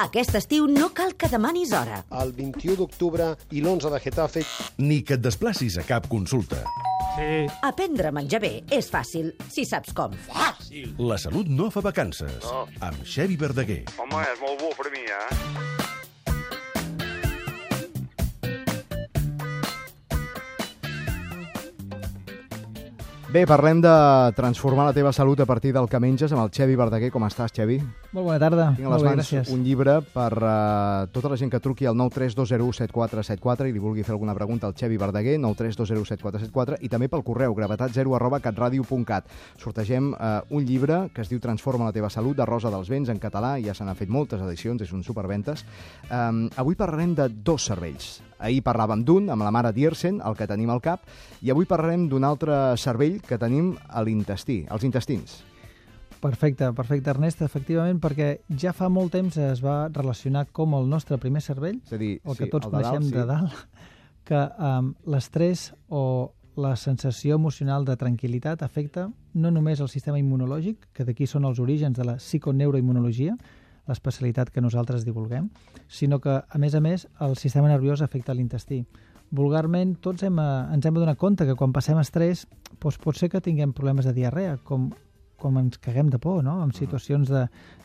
Aquest estiu no cal que demanis hora. El 21 d'octubre i l'11 de Getafe. Ni que et desplacis a cap consulta. Sí. Aprendre a menjar bé és fàcil, si saps com. Fàcil! La salut no fa vacances. No. Amb Xevi Verdaguer. Home, és molt bo per mi, Bé, parlem de transformar la teva salut a partir del que menges amb el Xevi Verdaguer. Com estàs, Xevi? Molt bona tarda. Tinc a les mans un llibre per tota la gent que truqui al 932017474 i li vulgui fer alguna pregunta al Xevi Verdaguer, 932017474, i també pel correu gravetat0@catradio.cat. Sortegem un llibre que es diu Transforma la teva salut, de Rosa dels Vents, en català. Ja se n'han fet moltes edicions, és un superventes. Avui parlarem de dos cervells. Ahir parlàvem d'un, amb la mare Diersen, el que tenim al cap, i avui parlarem d'un altre cervell que tenim a l'intestí, als intestins. Perfecte, Ernest, efectivament, perquè ja fa molt temps es va relacionar com el nostre primer cervell, És a dir, el que sí, tots el de dalt, coneixem de dalt, que l'estrès o la sensació emocional de tranquil·litat afecta no només el sistema immunològic, que d'aquí són els orígens de la psiconeuroimmunologia, l'especialitat que nosaltres divulguem, sinó que, a més, el sistema nerviós afecta l'intestí. Vulgarment, tots ens hem de donar compte que quan passem estrès doncs pot ser que tinguem problemes de diarrea, com ens caguem de por, no? En situacions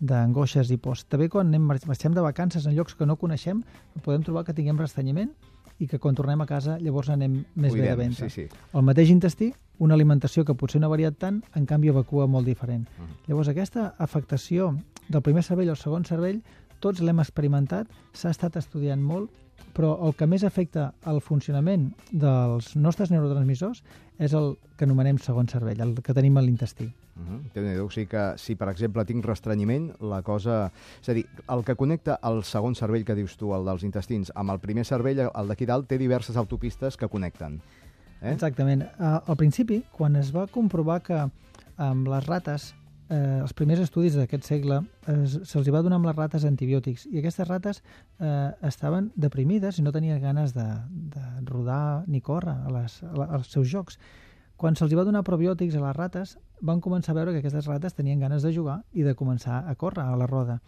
d'angoixes i pors. També quan marxem de vacances en llocs que no coneixem, podem trobar que tinguem restrenyiment i que quan tornem a casa llavors anem més bé de ventre. Sí. El mateix intestí, una alimentació que potser no ha variat tant, en canvi evacua molt diferent. Llavors aquesta afectació del primer cervell al segon cervell, tots l'hem experimentat, s'ha estat estudiant molt, però el que més afecta el funcionament dels nostres neurotransmissors és el que anomenem segon cervell, el que tenim a l'intestí. Déu-n'hi-do, o sigui que si, per exemple, tinc restrenyiment, la cosa... És a dir, el que connecta el segon cervell que dius tu, el dels intestins, amb el primer cervell, el d'aquí dalt, té diverses autopistes que connecten. Exactament. Al principi, quan es va comprovar que amb les rates, els primers estudis d'aquest segle, se'ls va donar amb les rates antibiòtics, i aquestes rates estaven deprimides i no tenien ganes de rodar ni córrer als seus jocs. Quan se'ls va donar probiòtics a les rates, van començar a veure que aquestes rates tenien ganes de jugar i de començar a córrer a la roda.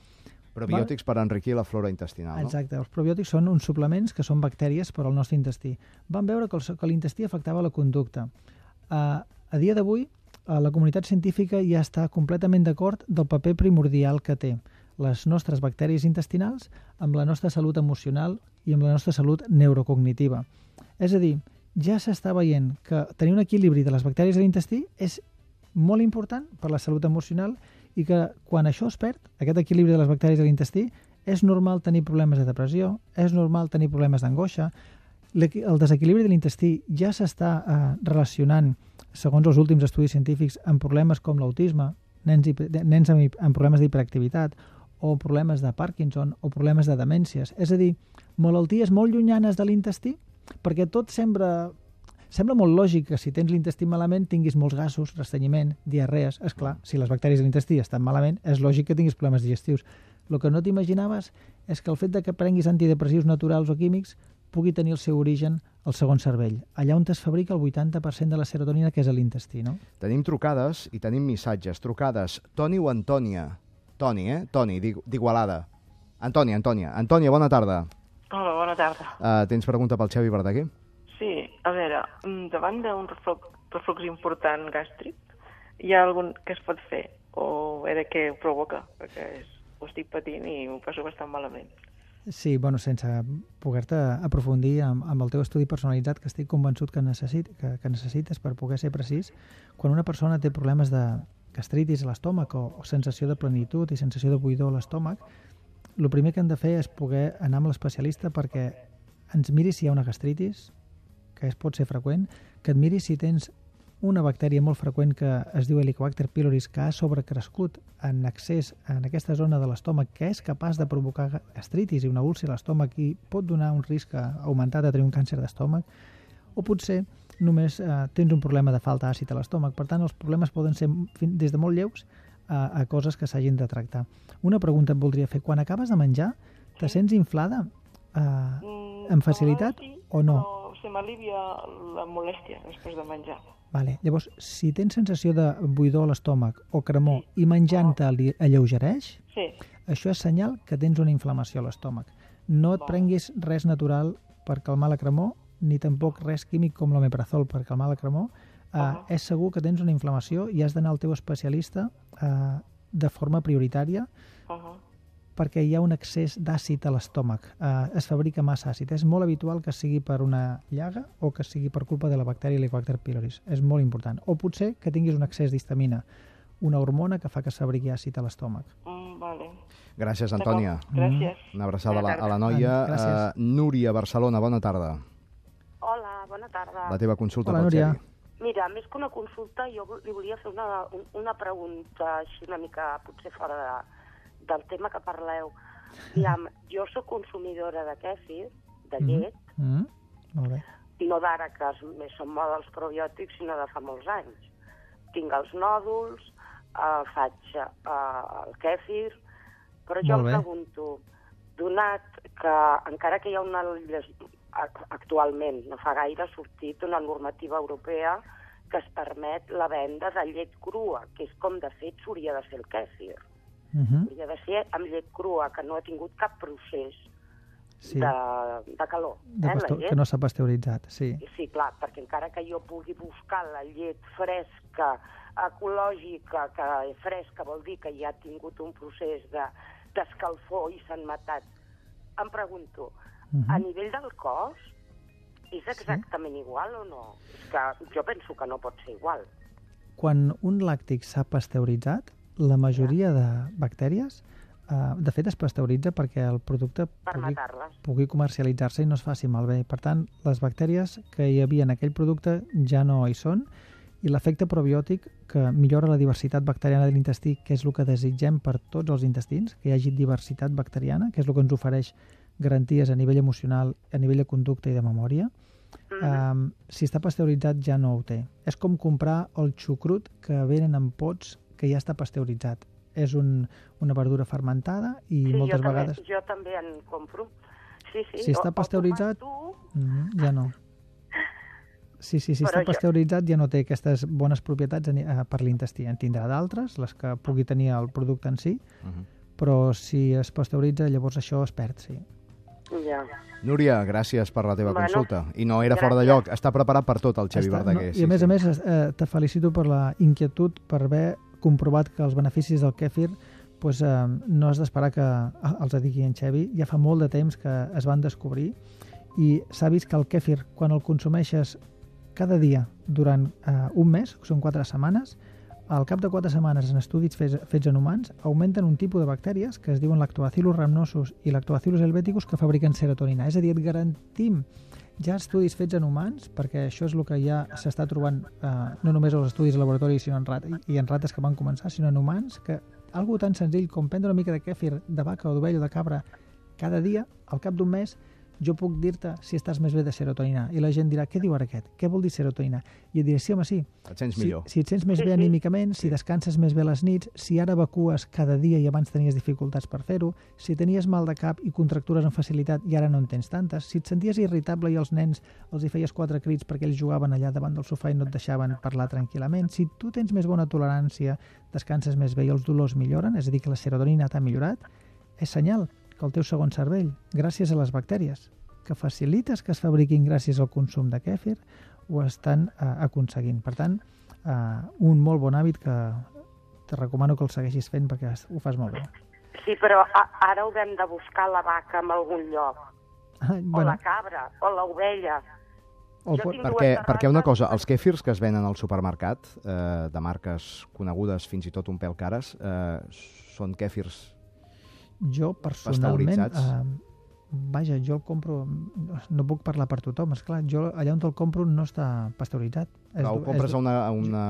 Probiòtics per enriquir la flora intestinal, no? Exacte. Els probiòtics són uns suplements que són bactèries per al nostre intestí. Van veure que l'intestí afectava la conducta. A dia d'avui, la comunitat científica ja està completament d'acord del paper primordial que té les nostres bactèries intestinals amb la nostra salut emocional i amb la nostra salut neurocognitiva. És a dir, ja s'està veient que tenir un equilibri de les bactèries de l'intestí és molt important per la salut emocional i que quan això es perd, aquest equilibri de les bactèries de l'intestí, és normal tenir problemes de depressió, és normal tenir problemes d'angoixa. El desequilibri de l'intestí ja s'està relacionant, segons els últims estudis científics, amb problemes com l'autisme, nens amb problemes d'hiperactivitat, o problemes de Parkinson, o problemes de demències. És a dir, malalties molt llunyanes de l'intestí, perquè tot sembla molt lògic que si tens l'intestí malament tinguis molts gasos, restrenyiment, diarrees. És clar, si les bactèries de l'intestí estan malament, és lògic que tinguis problemes digestius. El que no t'imaginaves és que el fet que prenguis antidepressius naturals o químics pugui tenir el seu origen al segon cervell, allà on es fabrica el 80% de la serotonina, que és a l'intestí, no? Tenim trucades i tenim missatges. Trucades. Toni o Antònia? Toni, Toni, d'Igualada. Antònia. Antònia, bona tarda. Hola, bona tarda. Tens pregunta pel Xevi Verdaguer? Sí, a veure, davant d'un reflux important gàstric, hi ha algun que es pot fer? O de què ho provoca? Perquè ho estic patint i ho passo bastant malament. Sí, sense poder-te aprofundir amb el teu estudi personalitzat, que estic convençut que necessites per poder ser precís, quan una persona té problemes de gastritis a l'estómac o sensació de plenitud i sensació de buidor a l'estómac, el primer que hem de fer és poder anar amb l'especialista perquè ens miri si hi ha una gastritis, que pot ser freqüent, que et miri si tens una bactèria molt freqüent que es diu Helicobacter pylori, que ha sobrecrescut en excés en aquesta zona de l'estómac, que és capaç de provocar gastritis i una úlcera a l'estómac i pot donar un risc augmentat de tenir un càncer d'estómac, o potser només tens un problema de falta d'àcid a l'estómac. Per tant, els problemes poden ser des de molt lleus a coses que s'hagin de tractar. Una pregunta et voldria fer. Quan acabes de menjar, te sents inflada amb facilitat o no? Se m'alivia la molèstia després de menjar. Vale. Llavors, si tens sensació de buidor a l'estómac o cremor i menjant-te alleugereix, Sí. això és senyal que tens una inflamació a l'estómac. No et prenguis res natural per calmar la cremor, ni tampoc res químic com l'omeprazol per calmar la cremor. És segur que tens una inflamació i has d'anar al teu especialista de forma prioritària perquè hi ha un excés d'àcid a l'estómac. Es fabrica massa àcid. És molt habitual que sigui per una llaga o que sigui per culpa de la bactèria Helicobacter pylori. És molt important. O potser que tinguis un excés d'histamina, una hormona que fa que es fabriqui àcid a l'estómac. Vale. Gràcies, Antònia. Gràcies. Una abraçada Bona a la noia. Gràcies. Núria, Barcelona, bona tarda. Hola, bona tarda. La teva consulta Hola, pel Núria. Xevi. Mira, més que una consulta, jo li volia fer una pregunta així una mica potser fora del tema que parleu. Aviam, jo sóc consumidora de kèfir, de llet, Molt bé. no d'ara que més són moda els probiòtics, sinó de fa molts anys. Tinc els nòduls, faig el kèfir, però jo Molt em bé. pregunto, donat que encara que hi ha actualment, no fa gaire, ha sortit una normativa europea que es permet la venda de llet crua, que és com de fet s'hauria de fer el kèfir. Hauria de ser amb llet crua, que no ha tingut cap procés Sí. de calor. La llet. Que no s'ha pasteuritzat, sí. Sí, clar, perquè encara que jo pugui buscar la llet fresca, ecològica, que fresca vol dir que ja ha tingut un procés d'escalfor i s'han matat. Em pregunto, a nivell del cost, és exactament igual o no? És que jo penso que no pot ser igual. Quan un làctic s'ha pasteuritzat, la majoria de bactèries, de fet, es pasteuritza perquè el producte Per matar-les. pugui comercialitzar-se i no es faci malbé. Per tant, les bactèries que hi havia en aquell producte ja no hi són i l'efecte probiòtic que millora la diversitat bacteriana de l'intestí, que és el que desitgem per tots els intestins, que hi hagi diversitat bacteriana, que és el que ens ofereix garanties a nivell emocional, a nivell de conducta i de memòria. Si està pasteuritzat ja no ho té. És com comprar el xucrut que venen en pots que ja està pasteuritzat. És una verdura fermentada i moltes vegades... Jo també en compro. Sí. Si està pasteuritzat, ja no. Si està pasteuritzat ja no té aquestes bones propietats per l'intestí. En tindrà d'altres, les que pugui tenir el producte en si, però si es pasteuritza llavors això es perd, sí. Ja. Núria, gràcies per la teva consulta. I no era fora de lloc. Està preparat per tot el Xevi Verdaguer. I a més, te felicito per la inquietud, per haver comprovat que els beneficis del kèfir no has d'esperar que els digui en Xevi. Ja fa molt de temps que es van descobrir i s'ha vist que el kèfir, quan el consumeixes cada dia durant un mes, que són 4 setmanes, al cap de 4 setmanes en estudis fets en humans augmenten un tipus de bactèries que es diuen lactobacillus rhamnosus i lactobacillus helveticus que fabriquen serotonina. És a dir, et garantim ja estudis fets en humans, perquè això és el que ja s'està trobant no només als estudis de laboratori sinó en rates que van començar, sinó en humans, que algo tan senzill com prendre una mica de kèfir de vaca o d'ovella o de cabra cada dia, al cap d'un mes, jo puc dir-te si estàs més bé de serotonina. I la gent dirà, què diu ara aquest? Què vol dir serotonina? I et diré, sí, home, sí. Et sents millor. Si et sents més bé anímicament, si descanses més bé les nits, si ara evacues cada dia i abans tenies dificultats per fer-ho, si tenies mal de cap i contractures amb facilitat i ara no en tens tantes, si et senties irritable i als nens els hi feies 4 crits perquè ells jugaven allà davant del sofà i no et deixaven parlar tranquil·lament, si tu tens més bona tolerància, descanses més bé i els dolors milloren, és a dir, que la serotonina t'ha millorat, és senyal que el teu segon cervell, gràcies a les bactèries que facilites que es fabriquin gràcies al consum de kèfir, ho estan aconseguint. Per tant, un molt bon hàbit que te recomano que el segueixis fent perquè ho fas molt bé. Sí, però ara haurem de buscar la vaca en algun lloc. O la cabra, o l'ovella. Perquè una cosa, els kèfirs que es venen al supermercat, de marques conegudes fins i tot un pèl cares, són kèfirs jo personalment, vaja, jo el compro, no puc parlar per tothom, esclar, jo allà on el compro no està pasteuritzat. Però ho compres a una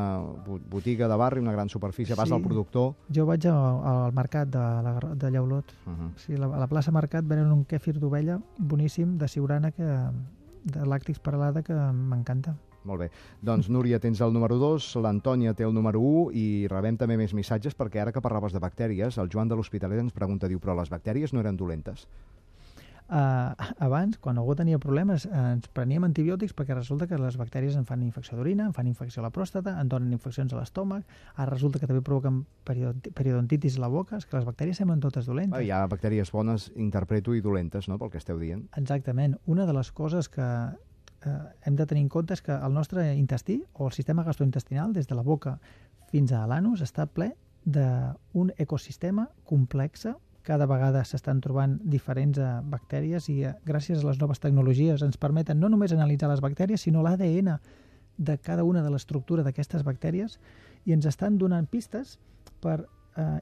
botiga de barri, una gran superfície, vas al productor... Jo vaig al mercat de Llaulot. Sí, a la plaça Mercat venen un kèfir d'ovella boníssim, de Siurana, de làctics Peralada, que m'encanta. Molt bé. Doncs, Núria, tens el número 2, l'Antònia té el número 1 i rebem també més missatges perquè ara que parlaves de bactèries, el Joan de l'Hospitalet ens pregunta, diu, però les bactèries no eren dolentes? Abans, quan algú tenia problemes, ens preníem antibiòtics perquè resulta que les bactèries en fan infecció d'orina, en fan infecció a la pròstata, en donen infeccions a l'estómac, ara resulta que també provoquen periodontitis a la boca, és que les bactèries semblen totes dolentes. Hi ha bactèries bones, interpreto, i dolentes, no?, pel que esteu dient. Exactament. Una de les coses que hem de tenir en compte és que el nostre intestí, o el sistema gastrointestinal, des de la boca fins a l'anus, està ple d'un ecosistema complex. Cada vegada s'estan trobant diferents bactèries i gràcies a les noves tecnologies ens permeten no només analitzar les bactèries, sinó l'ADN de cada una de l'estructura d'aquestes bactèries i ens estan donant pistes per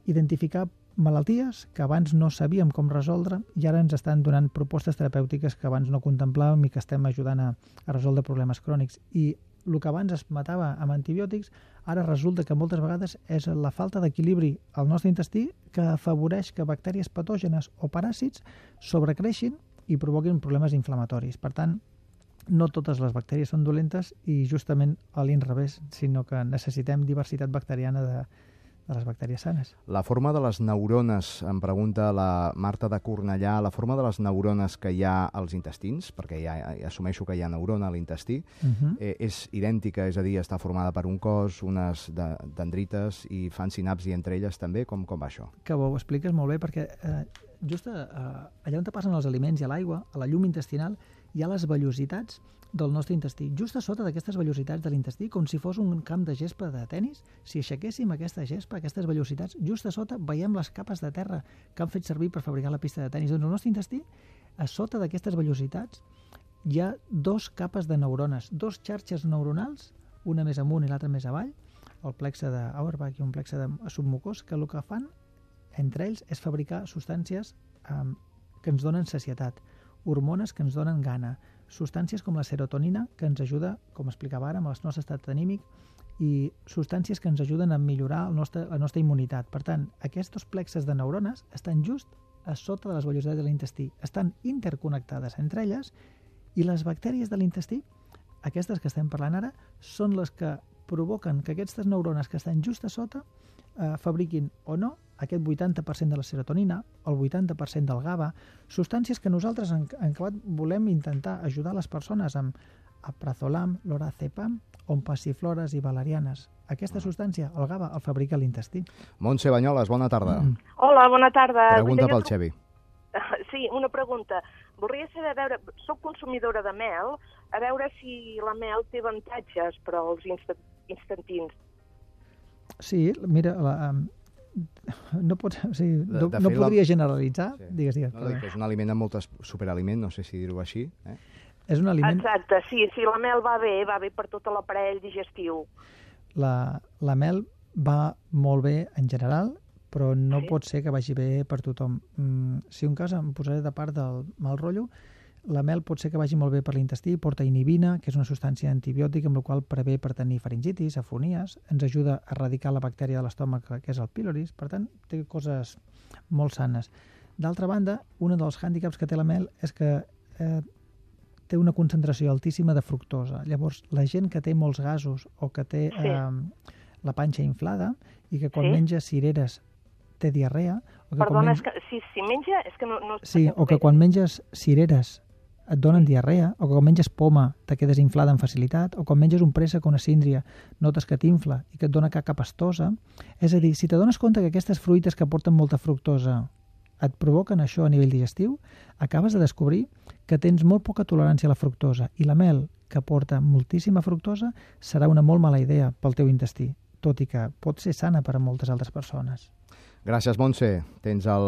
identificar malalties que abans no sabíem com resoldre i ara ens estan donant propostes terapèutiques que abans no contemplàvem i que estem ajudant a resoldre problemes crònics. I el que abans es matava amb antibiòtics, ara resulta que moltes vegades és la falta d'equilibri al nostre intestí que afavoreix que bactèries patògenes o paràsits sobrecreixin i provoquin problemes inflamatoris. Per tant, no totes les bactèries són dolentes i justament a l'inrevés, sinó que necessitem diversitat bacteriana de les bactèries sanes. La forma de les neurones, em pregunta la Marta de Cornellà, la forma de les neurones que hi ha als intestins, perquè ja assumeixo que hi ha neurona a l'intestí, és idèntica, és a dir, està formada per un cos, unes dendrites i fan sinapsi entre elles també? Com va això? Que ho expliques molt bé, perquè just allà on passen els aliments i a l'aigua, a la llum intestinal, hi ha les vellositats del nostre intestí. Just a sota d'aquestes vellositats de l'intestí, com si fos un camp de gespa de tennis, si aixequéssim aquesta gespa, aquestes vellositats, just a sota veiem les capes de terra que han fet servir per fabricar la pista de tennis. Doncs el nostre intestí, a sota d'aquestes vellositats, hi ha dos capes de neurones, dos xarxes neuronals, una més amunt i l'altra més avall, el plexe d'Auerbach i un plexe de submucós, que el que fan entre ells és fabricar substàncies que ens donen sacietat, hormones que ens donen gana, substàncies com la serotonina, que ens ajuda, com explicava ara, amb el nostre estat anímic, i substàncies que ens ajuden a millorar la nostra immunitat. Per tant, aquests plexes de neurones estan just a sota de les vellositats de l'intestí, estan interconnectades entre elles, i les bactèries de l'intestí, aquestes que estem parlant ara, són les que provoquen que aquestes neurones que estan just a sota fabriquin o no aquest 80% de la serotonina, el 80% del GABA, substàncies que nosaltres en acabat volem intentar ajudar les persones amb aprazolam, lorazepam, o amb passiflores i valerianes. Aquesta substància, el GABA, el fabrica l'intestí. Montse Banyoles, bona tarda. Hola, bona tarda. Pregunta pel Xevi. Sí, una pregunta. Voldria saber, a veure, soc consumidora de mel, a veure si la mel té avantatges per als instantins. Sí, mira, no podria generalitzar. Sí. Digues. No, dic que és un aliment amb moltes superaliment, no sé si dir-ho així. És un aliment... Exacte, sí, la mel va bé per tot l'aparell digestiu. La mel va molt bé en general, però no pot ser que vagi bé per tothom. Si un cas em posaré de part del mal rotllo, la mel pot ser que vagi molt bé per l'intestí, porta inhibina, que és una substància antibiòtica amb la qual prevé per tenir faringitis, afonies, ens ajuda a erradicar la bactèria de l'estómac, que és el pylorus, per tant, té coses molt sanes. D'altra banda, un dels hàndicaps que té la mel és que té una concentració altíssima de fructosa. Llavors, la gent que té molts gasos o que té la panxa inflada i que quan menja cireres té diarrea... Perdona, és que si menja... És que no sí, o que quan menges cireres et donen diarrea, o que quan menges poma te quedes inflada amb facilitat, o quan menges un préssec o una síndria notes que t'infla i que et dona caca pastosa. És a dir, si t'adones compte que aquestes fruites que porten molta fructosa et provoquen això a nivell digestiu, acabes de descobrir que tens molt poca tolerància a la fructosa i la mel, que porta moltíssima fructosa, serà una molt mala idea pel teu intestí, tot i que pot ser sana per a moltes altres persones. Gràcies, Montse. Tens el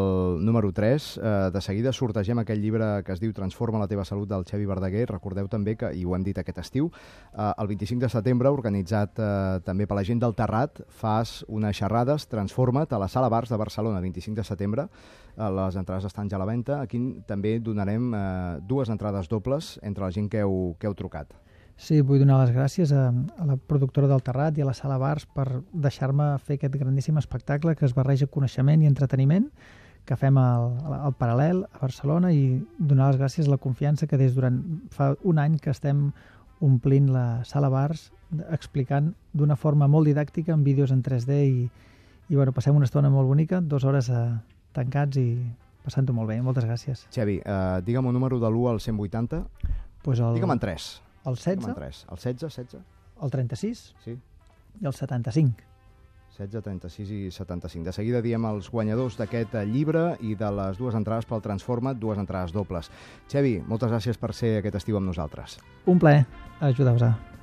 número 3. De seguida sortegem aquell llibre que es diu Transforma la teva salut del Xevi Verdaguer. Recordeu també que, i ho hem dit aquest estiu, el 25 de setembre, organitzat també per la gent del Terrat, fas unes xerrades, Transforma't, a la Sala Bars de Barcelona, 25 de setembre. Les entrades estan ja a la venda. Aquí també donarem 2 entrades dobles entre la gent que heu trucat. Sí, vull donar les gràcies a la productora del Terrat i a la Sala Bars per deixar-me fer aquest grandíssim espectacle que es barreja coneixement i entreteniment que fem al Paral·lel a Barcelona, i donar les gràcies a la confiança que fa un any que estem omplint la Sala Bars explicant d'una forma molt didàctica amb vídeos en 3D i bueno, passem una estona molt bonica, 2 hores tancats i passant-ho molt bé. Moltes gràcies. Xevi, digue'm un número de l'1 al 180. Pues Digue'm en 3. El 16, Digue'm en 3. El 16? el 36 Sí. i el 75. 16, 36 i 75. De seguida diem els guanyadors d'aquest llibre i de les 2 entrades pel Transforma't, 2 entrades dobles. Xevi, moltes gràcies per ser aquest estiu amb nosaltres. Un plaer ajudar-vos.